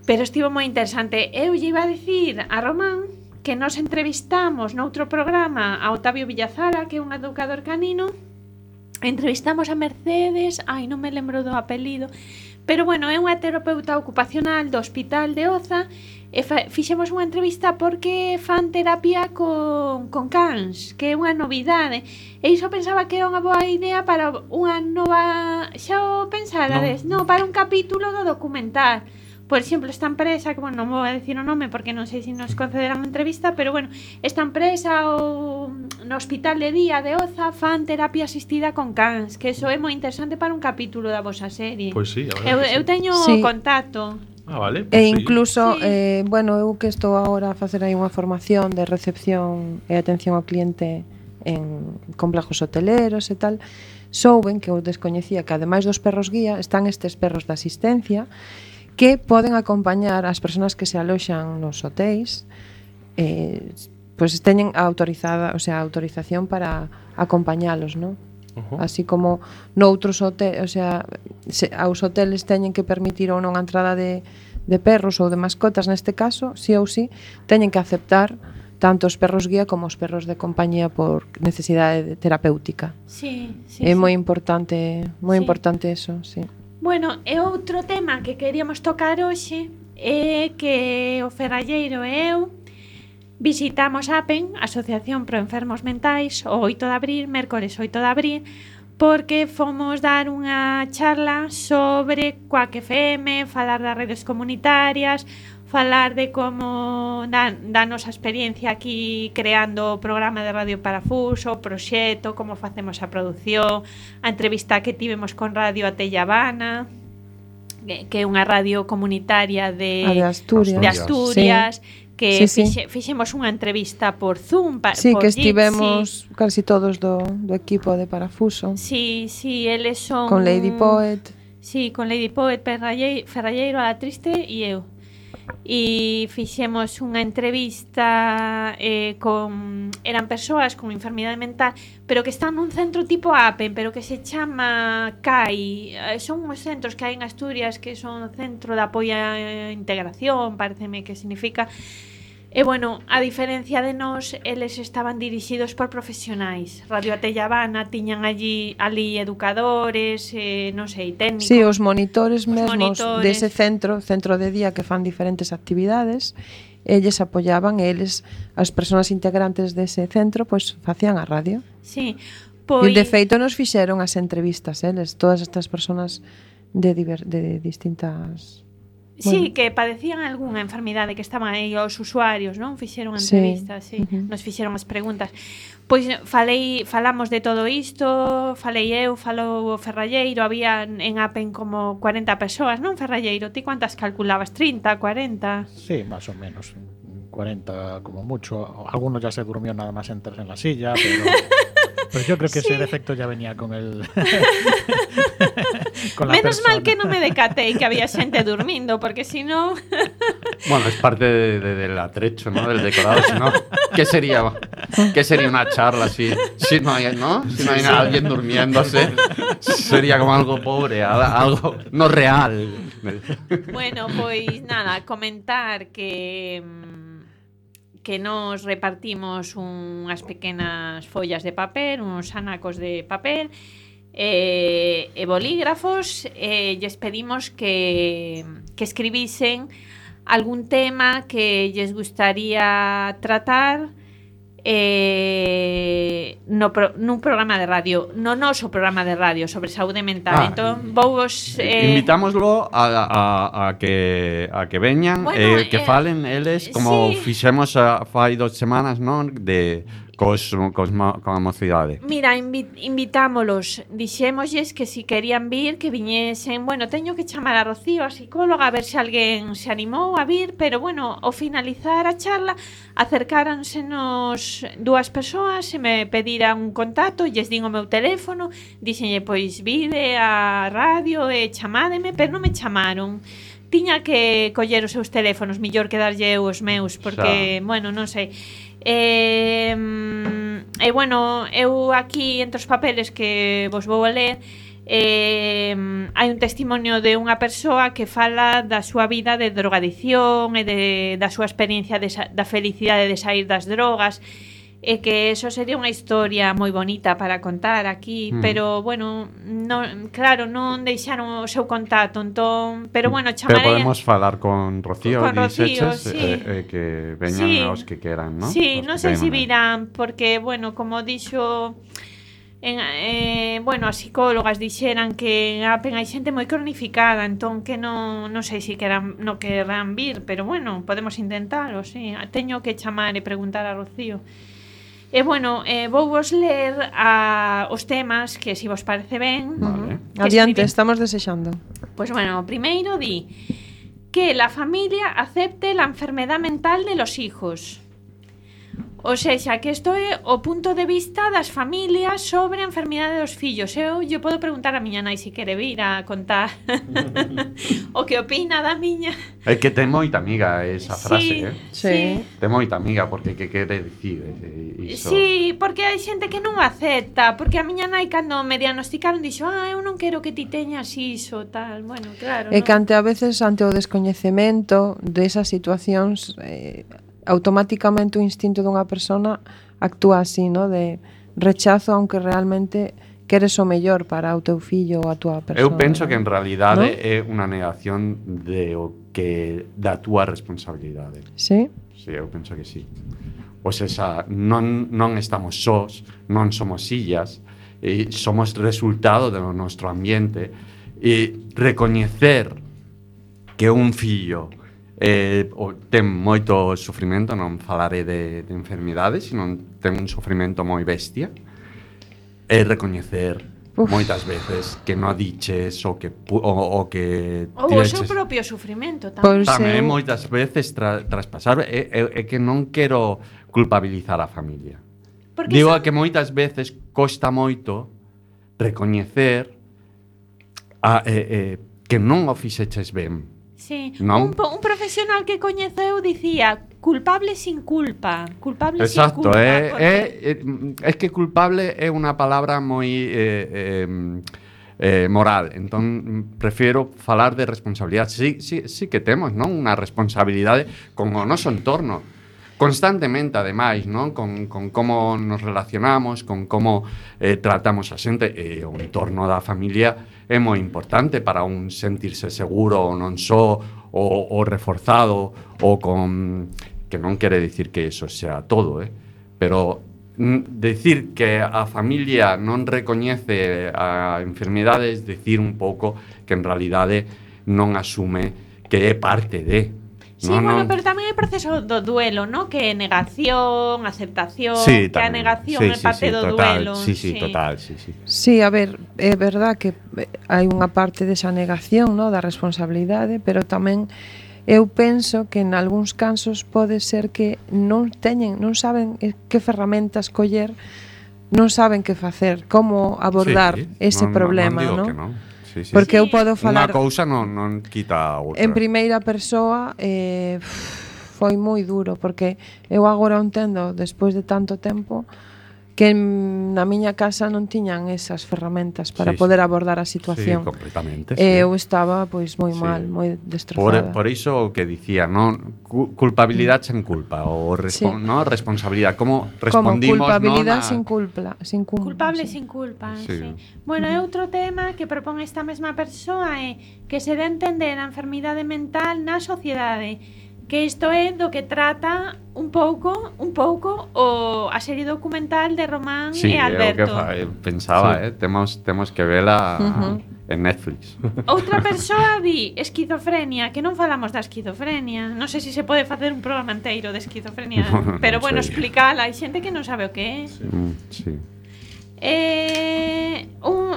Pero estivo moi interesante. Eu lle iba a dicir a Román que nos entrevistamos noutro programa a Octavio Villazara, que é un educador canino. Entrevistamos a Mercedes, non me lembro do apelido, pero bueno, é unha terapeuta ocupacional do Hospital de Oza, e fixemos unha entrevista porque fan terapia con cans, que é unha novidade, e iso pensaba que era unha boa idea para unha nova, xa o pensarades, para un capítulo do documental. Por exemplo, esta empresa, que bueno, non vou a decir o nome porque non sei se nos concederán entrevista, pero bueno, esta empresa no Hospital de Día de Oza fan terapia asistida con cans, que eso é moi interesante para un capítulo da vosa serie. Pois sí, a verdade. Eu teño Sí. contacto. Vale. E Sí. incluso, Sí. eu que estou agora a facer aí unha formación de recepción e atención ao cliente en complejos hoteleros e tal, souben, que eu descoñecía, que ademais dos perros guía están estes perros de asistencia que poden acompañar as persoas que se aloxan nos hotéis, pois teñen autorización para acompañalos, non? Así como noutros hoteles, aos hoteles teñen que permitir ou non a entrada de perros ou de mascotas, neste caso, sí ou sí, teñen que aceptar tanto os perros guía como os perros de compañía por necesidade terapéutica. Sí, é moi importante eso, sí. Bueno, e outro tema que queríamos tocar hoxe é que o Ferralleiro e eu visitamos APEN, Asociación Pro Enfermos Mentais, o 8 de abril, mércores 8 de abril, porque fomos dar unha charla sobre Quack FM, falar das redes comunitarias, falar de como da nosa experiencia aquí creando o programa de Radio Parafuso, o proxecto, como facemos a produción, a entrevista que tivemos con Radio Atellabana, que é unha radio comunitaria de Asturias. Sí. Que fixemos unha entrevista por Zoom sí, por que estivemos casi todos do equipo de Parafuso. Sí, eles son con Lady Poet. Sí, con Lady Poet, Ferralleiro, a Triste e eu. E fixemos unha entrevista eran persoas con enfermidade mental, pero que están nun centro tipo APEN, pero que se chama CAI. Son uns centros que hai en Asturias que son centro de apoio á integración, pareceme que significa. E bueno, a diferencia de nós, eles estaban dirixidos por profesionais. Radio Atellabana tiñan ali educadores, non sei, técnicos. Sí, os monitores mesmos dese centro de día que fan diferentes actividades, eles apoiaban, eles, as persoas integrantes dese centro, pois facían a radio. Sí, pois... E de feito nos fixeron as entrevistas, eles, todas estas persoas de distintas... Sí, que padecían algunha enfermidade, que estaban aí os usuarios, non? Fixeron entrevistas, sí. Nos fixeron as preguntas. Pois falamos de todo isto, falei eu, falou o Ferralleiro, había en APEN como 40 persoas, non, Ferralleiro? Ti cuántas calculabas? 30, 40? Sí, más o menos, 40 como mucho. Algunos ya se durmió nada más entrar en la silla, pero yo creo que ese defecto ya venía con el... con la Menos persona. mal que non me decatei que había xente durmindo, porque si no... Bueno, es parte del atrecho, ¿no? Del decorado, si no, ¿qué sería una charla si no hay, ¿no? Si no hay alguien durmiéndose, sería como algo pobre, algo no real. Bueno, pois nada, comentar que nos repartimos unhas pequenas follas de papel, uns anacos de papel e bolígrafos, e lles pedimos que escribisen algún tema que lles gustaría tratar nun programa de radio, no noso programa de radio sobre saúde mental. Entón, vouvos invitámoslo a que veñan, bueno, que falen eles como sí. Fixemos fai 2 semanas, non, de coa mocidade. Mira, invitámolos, dixémosles que si querían vir, que viñesen. Bueno, teño que chamar a Rocío, a psicóloga, a ver se alguén se animou a vir, pero bueno, ao finalizar a charla acercáransenos 2 persoas e me pediran un contacto, lles din o meu teléfono, dixenlle, pois vide a radio e chamádeme, pero non me chamaron. Tiña que coller os seus teléfonos, millor que darlle eu os meus, porque, bueno, non sei. E bueno, eu aquí entre os papeles que vos vou a ler hai un testimonio de unha persoa que fala da súa vida de drogadicción e da súa experiencia da felicidade de sair das drogas, e que eso sería unha historia moi bonita para contar aquí, pero bueno, claro, non deixaron o seu contacto, entón, pero bueno, chamarei. Pero podemos falar con Rocío, sí. Que veñan os que queran, ¿no? Sí, non sei se virán, porque bueno, como dixo bueno, as psicólogas dixeran que en APEN hai xente moi cronificada, entón que non sei se non querrán vir, pero bueno, podemos intentalo, sí. Teño que chamar e preguntar a Rocío. E bueno, vou vos ler os temas que, se vos parece ben, vale. Adiante, estamos desexando. Pues bueno, primeiro di que la familia acepte la enfermedad mental de los hijos. O sexa, que isto é o punto de vista das familias sobre a enfermidade dos fillos. Eu podo preguntar a miña nai se quere vir a contar o que opina da miña. É que ten moita amiga esa frase, Sí. Ten moita amiga, porque que quere dicir iso? Sí, porque hai xente que non o acepta. Porque a miña nai cando me diagnosticaron dixo, eu non quero que ti teñas iso, tal. Bueno, claro, E que ante a veces, ante o descoñecemento desas situacións, automáticamente o instinto dunha persona actúa así, ¿no? De rechazo, aunque realmente queres o mellor para o teu fillo ou a túa persona. Eu penso que en realidade ¿no? é unha negación da túa responsabilidade. Sí? Sí, eu penso que sí. O sea, non estamos sós, non somos illas, somos resultado do noso ambiente, e recoñecer que un fillo ten moito sufrimento, non falaré de enfermidades, sino ten un sufrimento moi bestia, e recoñecer moitas veces que non diches o que Ou o seu propio sufrimento tamén. Tamén moitas veces traspasar é que non quero culpabilizar a familia. Porque Digo que moitas veces costa moito recoñecer que non o fixeches ben. Sí. Non? Un profesional que coñezo eu dicía culpable sin culpa. Culpable Exacto, sin culpa. é que culpable é unha palabra moi moral. Entón, prefiro falar de responsabilidade. Sí que temos, non? Unha responsabilidade con o noso entorno. Constantemente, ademais, non? Con como nos relacionamos, con como tratamos a xente, e o entorno da familia é moi importante para un sentirse seguro, non só o reforzado, ou con... que non quere dicir que eso sea todo, pero decir que a familia non recoñece a enfermidades, decir un pouco que en realidade non asume que é parte de... Sí, pero tamén hai proceso do duelo, ¿no? Que é negación, aceptación, sí, que a negación é parte do duelo. Sí, total. Sí, a ver, é verdad que hai unha parte desa negación, ¿no? Da responsabilidade, pero tamén eu penso que en algúns casos pode ser que non saben que ferramentas coller, non saben que facer, como abordar ese problema, non digo ¿no? Que non. Sí. Porque eu podo falar... Unha cousa non quita a outra. En primeira persoa foi moi duro, porque eu agora entendo, despois de tanto tempo, que na miña casa non tiñan esas ferramentas para poder abordar a situación. Sí, completamente. Eu estaba pois moi mal, moi destrozada. Por iso o que dicía, non? Culpabilidade sen culpa, ou no? Responsabilidade. Como respondimos, como culpabilidade sin culpa. Culpable sin culpa, sí. Bueno, e outro tema que propón esta mesma persoa é que se dé a entender a enfermidade mental na sociedade, que isto é do que trata un pouco a serie documental de Román e Alberto. Sí, pensaba, temos que vela en Netflix. Outra persoa di esquizofrenia, que non falamos da esquizofrenia. Non sei se se pode facer un programa inteiro de esquizofrenia, pero bueno, explícala, hai xente que non sabe o que é. Sí.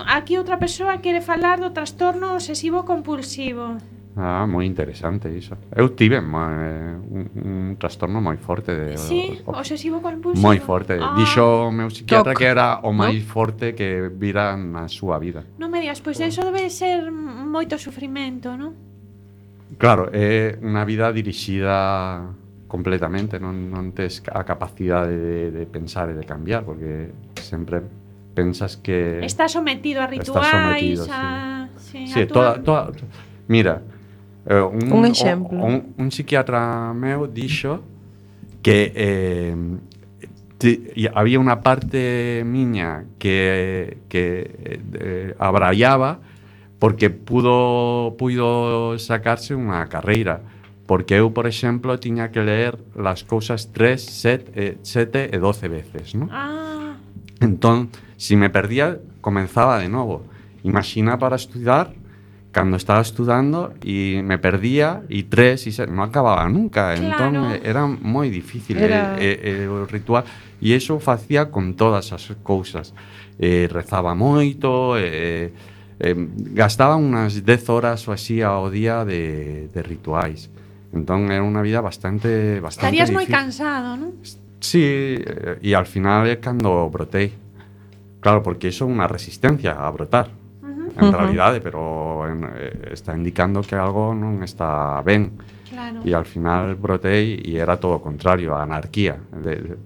Aquí outra persoa quere falar do trastorno obsesivo compulsivo. Moi interesante iso. Eu tive un trastorno moi forte obsesivo compulsivo. Moi forte. Dixo o meu psiquiatra que era o máis forte que vira na súa vida. Non me digas, pois iso debe ser moito sufrimento, non? Claro, é unha vida dirixida completamente, non tes a capacidade de pensar e de cambiar, porque sempre pensas que está sometido a rituais, Mira, un exemplo. Un psiquiatra meu dixo que había unha parte miña que abraiaba porque puido sacarse unha carreira, porque eu, por exemplo, tiña que ler las cousas 3, 7 e 12 veces, ¿no? Entón, si me perdía, comenzaba de novo. Imagina para estudar, cando estaba estudando e me perdía e 3 e 7, non acababa nunca. Claro. Entón era moi difícil o ritual, e iso facía con todas as cousas. Rezaba moito, gastaba unas 10 horas ou así ao día de rituais. Entón era unha vida bastante estarías difícil. Moi cansado, non? Sí, e ao final é cando brotei. Claro, porque iso é unha resistencia a brotar. En realidade, pero está indicando que algo non está ben. Claro. E ao final brotei e era todo o contrario, a anarquía.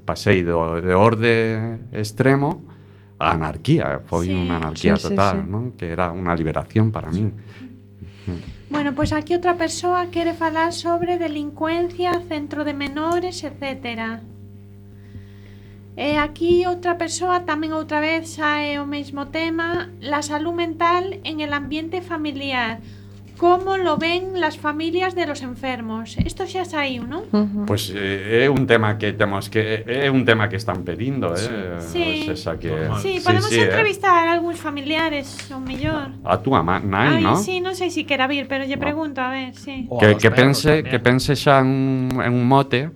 Pasei de orde extremo a anarquía. Foi Sí. unha anarquía Sí, sí, total, sí. non? Que era unha liberación para min. Bueno, pues aquí outra persoa quere falar sobre delincuencia, centro de menores, etcétera. E aquí outra persoa tamén outra vez sae o mesmo tema, la salud mental en el ambiente familiar. ¿Cómo lo ven las familias de los enfermos? Esto xa saiu, non? Pois é un tema que temos que é un tema que están pedindo, Sí. O sea, que Sí, podemos sí, entrevistar a algúns familiares, o mellor. A túa nai, Ai, ¿no? sí, non sei se quera vir, pero lle pregunto, a ver, sí. O a los perros Que también. pense xa en un mote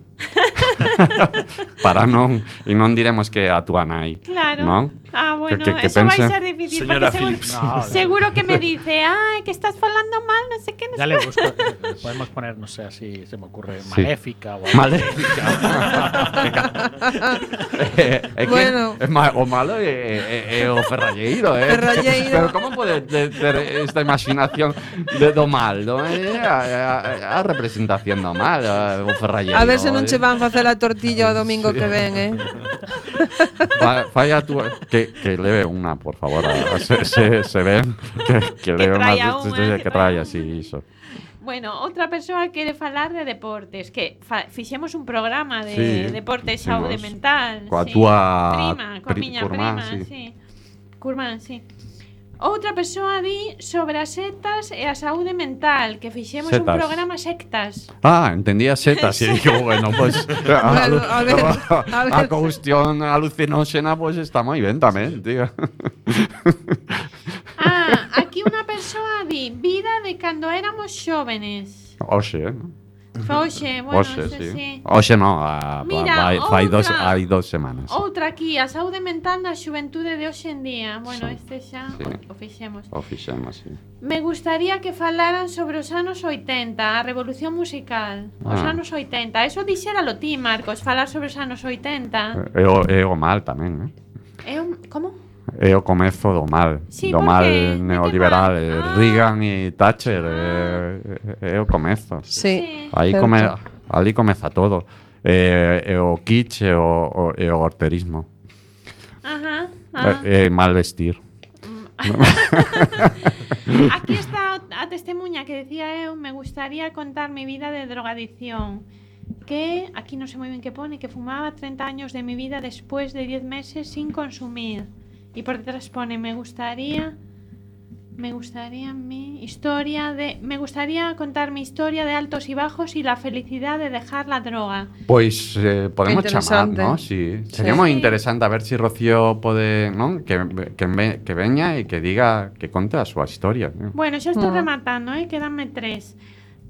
para non e non diremos que a túa nai. Claro. Non? Ah, bueno, Que eso va a pense- ser difícil. Señora porque seguro, Phillips. No, seguro que me dice, ay, que estás falando mal, no sé qué, no Ya sé le busco. Podemos poner, no sé, así se me ocurre, Sí. maléfica o algo. Maléfica. É que Bueno. o malo é o ferralleiro, Ferralleiro. Pero como pode ter esta imaginación do mal, non? É a representación do mal, o ferralleiro. A ver se non che van facer a tortilla o domingo que ven, Fai a túa que leve unha, por favor, se ven que leve traia unha unha, que traia así iso. Bueno, outra persoa quere falar de deportes, que fixemos un programa de Sí, deportes fixemos. saúde mental. Coa sí. túa prima, coa miña curmán, prima, sí. sí. Curmán, sí. Outra persoa di sobre as sectas e a saúde mental, que fixemos un Setas. programa sectas. Ah, entendía setas e digo, bueno, pues Bueno, a ver. a cuestión alucinóxena pues está moi ben tamén, tío. Ah, aquí unha persoa di vida de cando éramos xóvenes. Oxe, Foxe, bueno, Oxe, ese sí. sí. Oxe no, Mira, fai outra. hai 2 semanas. Outra aquí, a saúde mental na xuventude de hoxe en día. Bueno, Sí, este xa sí. o fixemos. O fixemos, sí. Me gustaría que falaran sobre os anos 80, a revolución musical. Os Ah. anos 80. Eso dixéralo ti, Marcos, falar sobre os anos 80. É o mal tamén, Como? É o comezo do mal, Sí, do porque mal de que neoliberal, mal? Ah. Reagan e Thatcher, é o comezo. Sí. Aí certo. ali comeza todo. É o kitsch e o horterismo. Ajá. É mal vestir. Aquí está a testemunha que decía eu, me gustaría contar mi vida de drogadicción. Que, aquí no sé muy bien qué pone, que fumaba 30 años de mi vida después de 10 meses sin consumir. Y por detrás pone, me gustaría contar mi historia de altos y bajos y la felicidad de dejar la droga. Pois podemos chamar, Interesante. ¿no? Sí. Sería moi interesante a ver si Rocío pode, non? Que veña e que diga, que conte a súa historia. ¿no? Bueno, xa estou rematando, quedanme 3.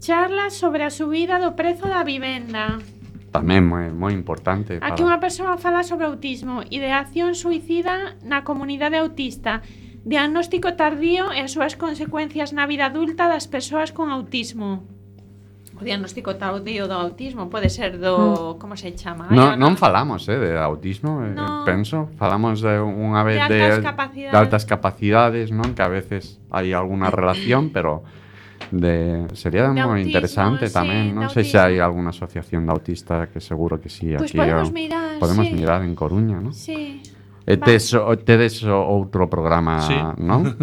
Charlas sobre a subida do prezo da vivenda. Tamén moi importante. Aquí unha persoa fala sobre autismo, ideación suicida na comunidade autista, diagnóstico tardío e as súas consecuencias na vida adulta das persoas con autismo. O diagnóstico tardío do autismo pode ser do... como se chama? Non falamos de autismo, No. penso. Falamos de unha vez De altas capacidades. de altas capacidades, non? Que a veces hai alguna relación, pero sería De moi autismo, interesante sí, tamén. Non de sei se autismo. hai alguna asociación de autistas, que seguro que sí. Pois aquí podemos mirar, podemos sí. mirar en Coruña, non? Sí. Tedes outro programa, Sí. non?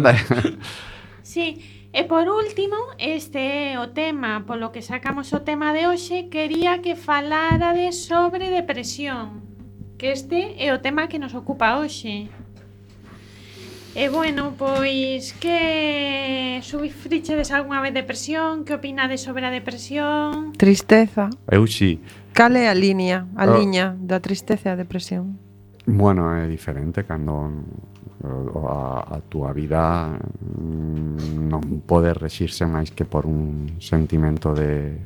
Sí, e por último, este é o tema, polo que sacamos o tema de hoxe, quería que falárades sobre depresión, que este é o tema que nos ocupa hoxe. E bueno, pois, que sufrichedes algunha vez depresión? Que opinades sobre a depresión? Tristeza. Eu sí. Cal é a liña Oh. da tristeza e a depresión? Bueno, é diferente cando a túa vida non pode rexirse máis que por un sentimento de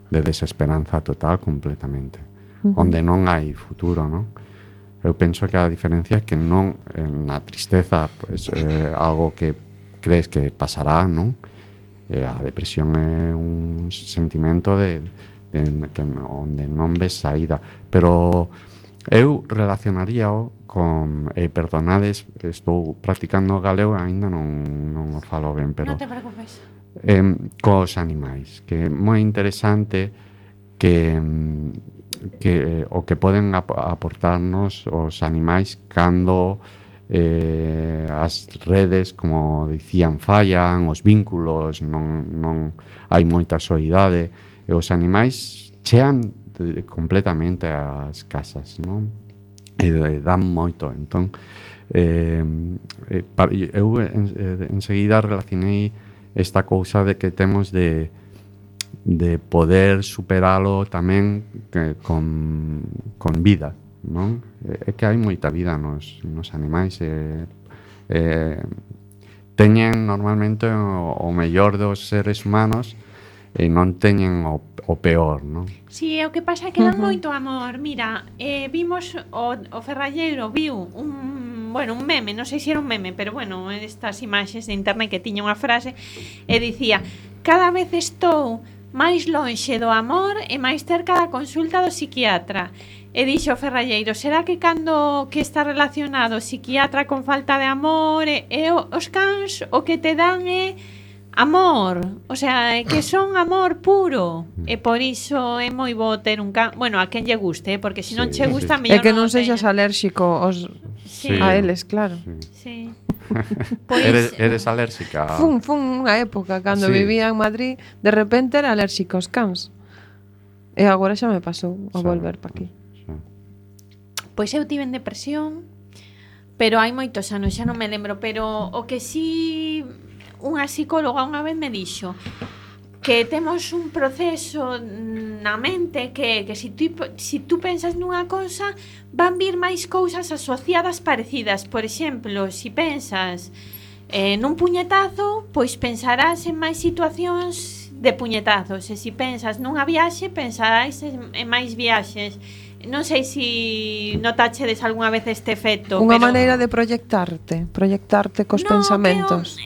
desesperanza total completamente, onde non hai futuro, non? Eu penso que a diferencia é que non na tristeza pues, algo que crees que pasará, non? A depresión é un sentimento de que onde non ves saída, pero Eu relacionaríao con, perdonades, estou practicando o galego e aínda non o falo ben, pero Non te preocupes. cos animais, que é moi interesante que o que poden aportarnos os animais cando as redes, como dicían, fallan, os vínculos non hai moita soidade e os animais chean completamente as casas, non? E dan moito, entón eu enseguida relacionei esta cousa de que temos de poder superalo tamén con vida, non? É que hai moita vida nos animais teñen normalmente o mellor dos seres humanos e non teñen o peor, non? Si, o que pasa é que dan moito amor. Mira, vimos o Ferralleiro viu un meme, non sei se era un meme, pero bueno, estas imaxes de internet que tiña unha frase e dicía: cada vez estou máis lonxe do amor e máis cerca da consulta do psiquiatra. E dixo o Ferralleiro: será que cando que está relacionado o psiquiatra con falta de amor e os cans o que te dan é amor, o sea, que son amor puro. E por iso é moi bo ter un can, bueno, a quen lle guste, porque se non che gusta, mellor é que non sexas alérxico a eles, claro. Sí. Pois, eres alérxica? Fun unha época cando vivía en Madrid, de repente era alérxica aos cans. E agora xa me pasou a volver pa aquí. Pois eu tive en depresión, pero hai moitos anos, xa non me lembro, pero o que sí unha psicóloga unha vez me dixo que temos un proceso na mente que si tú pensas nunha cousa van vir máis cousas asociadas parecidas. Por exemplo, si pensas nun puñetazo, pois pensarás en máis situacións de puñetazos, e si pensas nunha viaxe pensarás en máis viaxes. Non sei se notachedes algunha vez este efecto. Unha maneira de proyectarte cos pensamentos.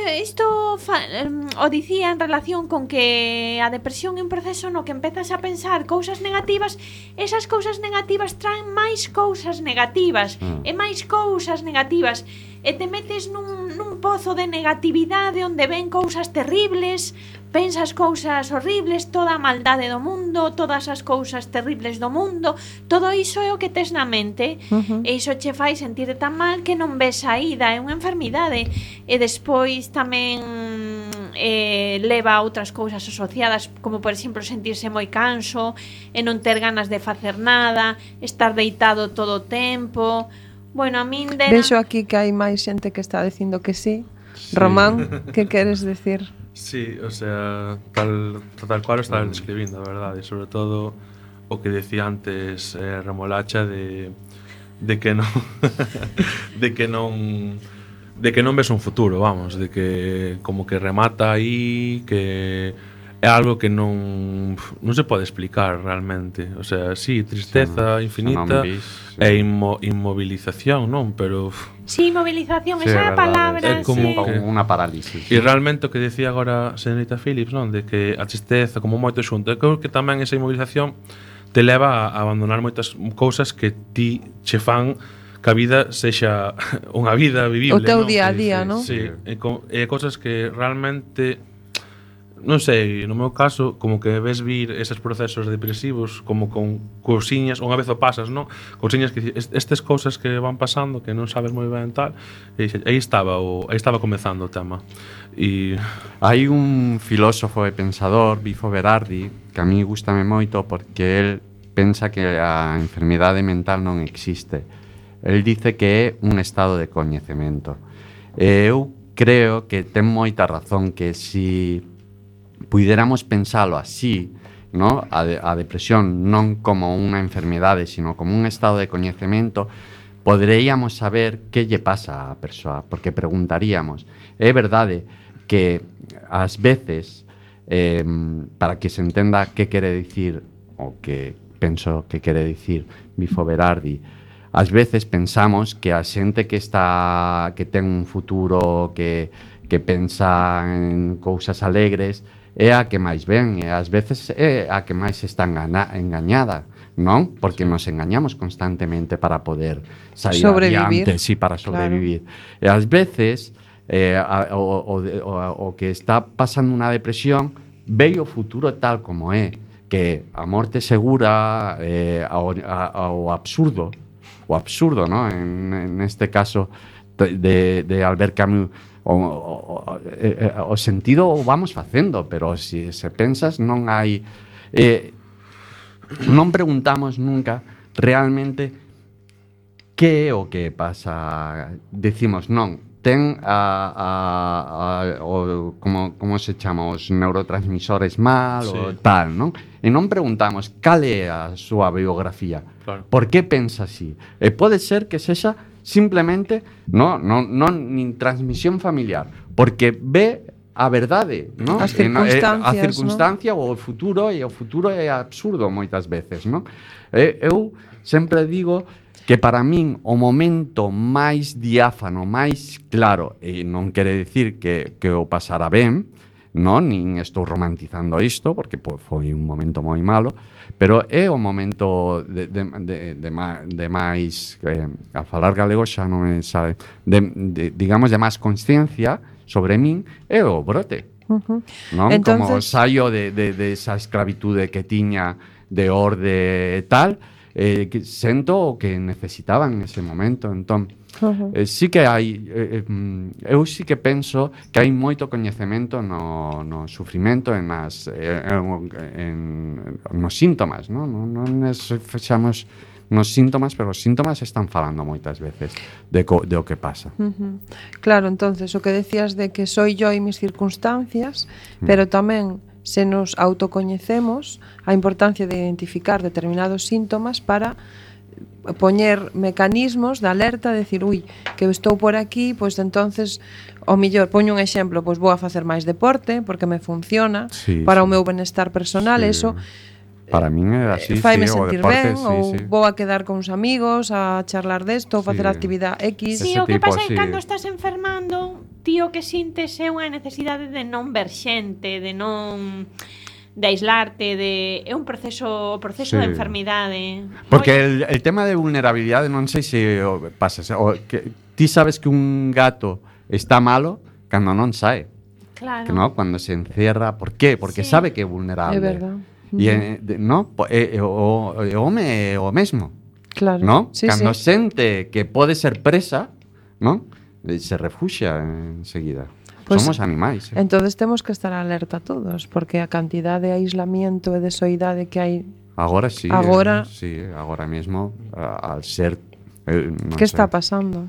Isto o dicía en relación con que a depresión é un proceso no que empezas a pensar cousas negativas, esas cousas negativas traen máis cousas negativas e máis cousas negativas e te metes nun pozo de negatividade onde ven cousas terribles, pensas cousas horribles, toda a maldade do mundo, todas as cousas terribles do mundo, todo iso é o que tes na mente, e iso che fai sentirte tan mal que non ves saída, é unha enfermidade. E despois tamén leva a outras cousas asociadas, como por exemplo sentirse moi canso e non ter ganas de facer nada, estar deitado todo o tempo. Bueno, a min vexo aquí que hai máis xente que está dicindo que sí. Román, que queres decir? Sí, o sea, tal cual está describindo, a verdade, sobre todo o que decía antes Remolacha de que non de que non ves un futuro, vamos, de que como que remata aí, que é algo que non se pode explicar realmente. O sea, sí, tristeza infinita e inmovilización, non? Pero sí, inmovilización, esa é a palabra. É como unha parálisis. E realmente o que decía agora a señorita Phillips, non? De que a tristeza como moito xunto, eu creo que tamén esa inmovilización te leva a abandonar moitas cousas que ti che fan que a vida sexa unha vida vivible, o teu día a día, non? Sí, e cosas que realmente non sei, no meu caso, como que ves vir eses procesos depresivos como con cousiñas, unha vez o pasas, non? Cousiñas que estas cousas que van pasando que non sabes moi ben tal, e aí estaba comezando o tema. E hai un filósofo e pensador, Bifo Berardi, que a mí gustame moito porque el pensa que a enfermidade mental non existe. El dice que é un estado de coñecemento. Eu creo que ten moita razón, que si puidéramos pensalo así, ¿no? A depresión non como unha enfermidade, sino como un estado de coñecemento, poderíamos saber que lle pasa á persoa, porque preguntaríamos. É verdade que ás veces, para que se entenda que quere dicir, o que penso que quere dicir Bifo Berardi, ás veces pensamos que a xente que ten un futuro, que pensa en cousas alegres, é a que máis ven, e ás veces é a que máis está engañada. non? Porque nos engañamos constantemente para poder sair Sobrevivir. adiante, sí, para sobrevivir. E ás veces o que está pasando unha depresión ve o futuro tal como é, que a morte segura, ao absurdo, ¿no? En este caso de Albert Camus, o sentido o vamos facendo, pero se pensas non hai non preguntamos nunca realmente que é o que pasa. Decimos, non, ten como se chama, os neurotransmisores mal, ou tal, non? E non preguntamos cal é a súa biografía. Claro. Por que pensa así? E pode ser que sexa simplemente non nin transmisión familiar, porque ve a verdade, non? As circunstancias, a circunstancia ou o futuro, e o futuro é absurdo moitas veces, non? Eu sempre digo que para min o momento máis diáfano, máis claro, e non quere dicir que o pasara ben, non, nin estou romantizando isto, porque foi un momento moi malo, pero é o momento de máis, a falar galego xa non me sabe, digamos, de máis consciencia sobre min, é o brote. Non? Entonces, como saio de esa esclavitude que tiña de orde e tal, que sento o que necesitaba en ese momento. Entón, sí que hai eu sí que penso que hai moito coñecemento no sufrimento, nos síntomas, non nos fechamos nos síntomas, pero os síntomas están falando moitas veces de o que pasa. Claro, entonces o que decías de que soy yo e mis circunstancias, pero tamén se nos autocoñecemos, a importancia de identificar determinados síntomas para poñer mecanismos de alerta, de decir, que eu estou por aquí, pois entonces, o mellor, poño un exemplo, pois vou a facer máis deporte, porque me funciona, para o meu benestar personal, eso para min é así, faime o sentir deporte, ben, ou vou a quedar con uns amigos a charlar desto, ou facer actividade X. Sí, o que pasa é que cando estás enfermando, tío, que sintes é unha necesidade de non ver xente, de non de aislarte, é un proceso de enfermidade. Porque el tema de vulnerabilidade non sei se pasa, que ti sabes que un gato está malo cando non sae. Claro. Que no, cuando se encierra, ¿por qué? Porque sabe que é vulnerable. É verdad. E no, o home o mesmo. Claro. ¿No? Sí, Cando sí. sente que pode ser presa, ¿no? Se refuxia enseguida. Pues, somos animais. Entonces temos que estar alerta todos, porque a cantidad de aislamiento e de soidade que hai agora sí. Agora mesmo al ser ¿Qué está pasando?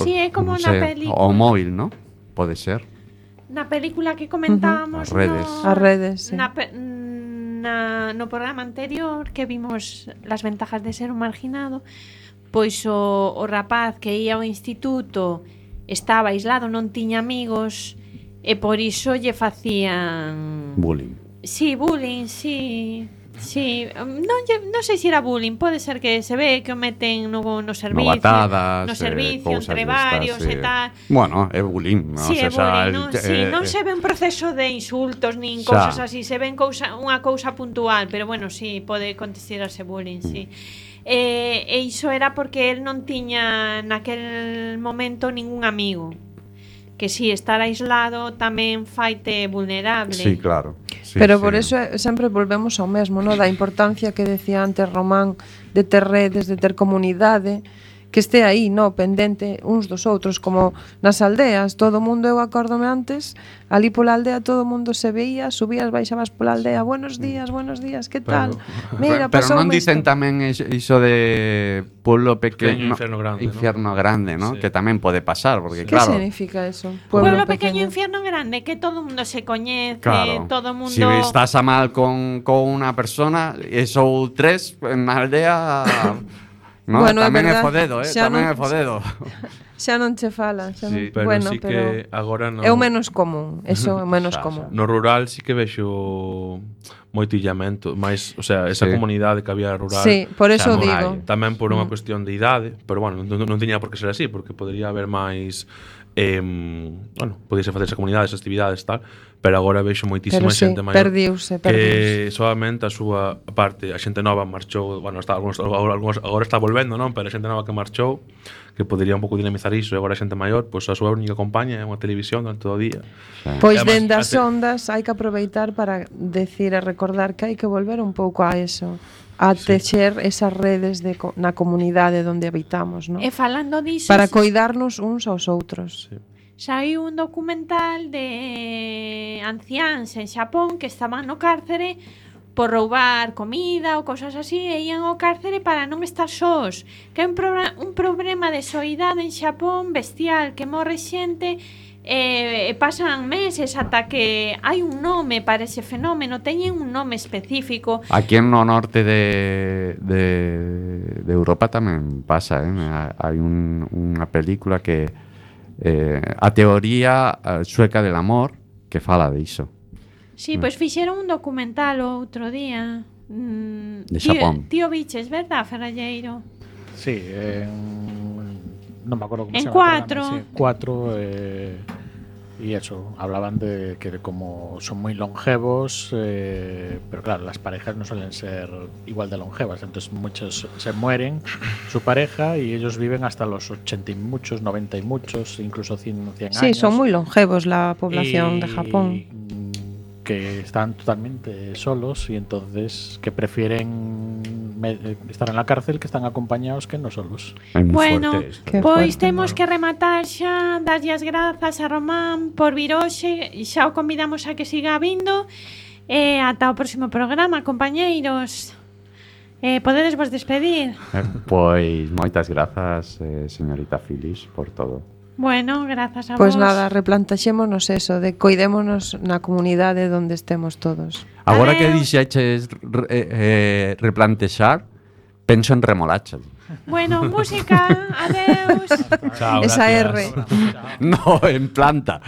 Sí, é como na película. O móvil, ¿no? Pode ser. Na película que comentábamos As redes, sí. no programa anterior que vimos las ventajas de ser un marginado, pois o rapaz que ia ao instituto estaba aislado, non tiña amigos e por iso lle facían bullying. Sí, bullying, sí. Sí, non sei se era bullying, pode ser que se ve que o meten no servicio, novatadas, no servicio entre varios e tal. Bueno, é bullying, Sí, é bullying, non se ve un proceso de insultos nin cousas así, se ven unha cousa puntual, pero bueno, sí, pode considerarse bullying, sí. E iso era porque el non tiña naquel momento ningún amigo. Que si estar aislado tamén faite vulnerable. Sí, claro. Sí, pero por eso sempre volvemos ao mesmo, ¿no? Da importancia que decía antes Román de ter redes, de ter comunidade, que este aí, no, pendente uns dos outros, como nas aldeas, todo o mundo, eu acórdome antes, ali pola aldea todo o mundo se veía, subías, baixabas pola aldea, buenos días, que tal? Mira, pero non dicen tamén iso de pueblo pequeño, infierno grande, ¿no? Sí. Que tamén pode pasar, porque ¿Qué claro. ¿Qué significa eso? Pueblo pequeño, infierno grande, que todo o mundo se coñece, claro. todo o mundo. Si estás a mal con unha persona, e sou tres na aldea. No, bueno, tamén é fodedo, tamén é fodedo. Xa non che fala, xa sí, non. Pero bueno, sí que agora non. É o menos común, eso é o menos común. No rural sí que vexo moito illamento, máis, o sea, esa comunidade que había rural. Sí, por eso digo. Tamén por unha cuestión de idade, pero bueno, non tiña por que ser así, porque podría haber máis bueno, podíase facerse comunidades, actividades tal, pero agora vexo moitísima Pero sí, xente maior perdiuse. que solamente a súa parte, a xente nova marchou, bueno, está algúns agora está volvendo, non? Pero a xente nova que marchou, que podería un pouco dinamizar iso, e agora a xente maior, pois a súa única compañía é unha televisión durante todo o día. Pois E además, dende as ondas hai que aproveitar para decir e recordar que hai que volver un pouco a eso, a texer esas redes na comunidade onde habitamos, ¿no? E falando diso, Para coidarnos uns aos outros. Sí. Saiu un documental de anciáns en Xapón que estaban no cárcere por roubar comida ou cosas así e ían ao cárcere para non estar sós, que é un problema de soidade en Xapón bestial, que morre xente e pasan meses ata que hai un nome para ese fenómeno, teñen un nome específico. Aquí no norte de Europa tamén pasa, hai unha película que a teoría sueca del amor que fala diso. Sí, pois fixeron un documental o outro día. De Xapón. Tío Biches, verdad, Ferralleiro? Sí, non me acuerdo como En se llama. Cuatro. Sí, 4. Y eso, hablaban de que como son muy longevos, pero claro, las parejas no suelen ser igual de longevas, entonces muchos se mueren su pareja y ellos viven hasta los 80 y muchos, 90 y muchos, incluso 100 años. Sí, son muy longevos la población de Japón. Que están totalmente solos y entonces que prefieren estar en la cárcel que están acompañados que no solos. Bueno, Qué pois fuerte. temos que rematar xa, darlle as grazas a Román por vir hoxe, xa o convidamos a que siga vindo e ata o próximo programa, compañeiros. Podedes vos despedir. Pois moitas grazas, señorita Filis, por todo. Bueno, grazas a Pois vos. nada, replantaxémonos eso, de coidémonos na comunidade onde estemos todos. Agora que Adeus. dixeches replantexar, penso en remolacha. Bueno, música, adeus. Chao, Esa gracias. R. No, en planta.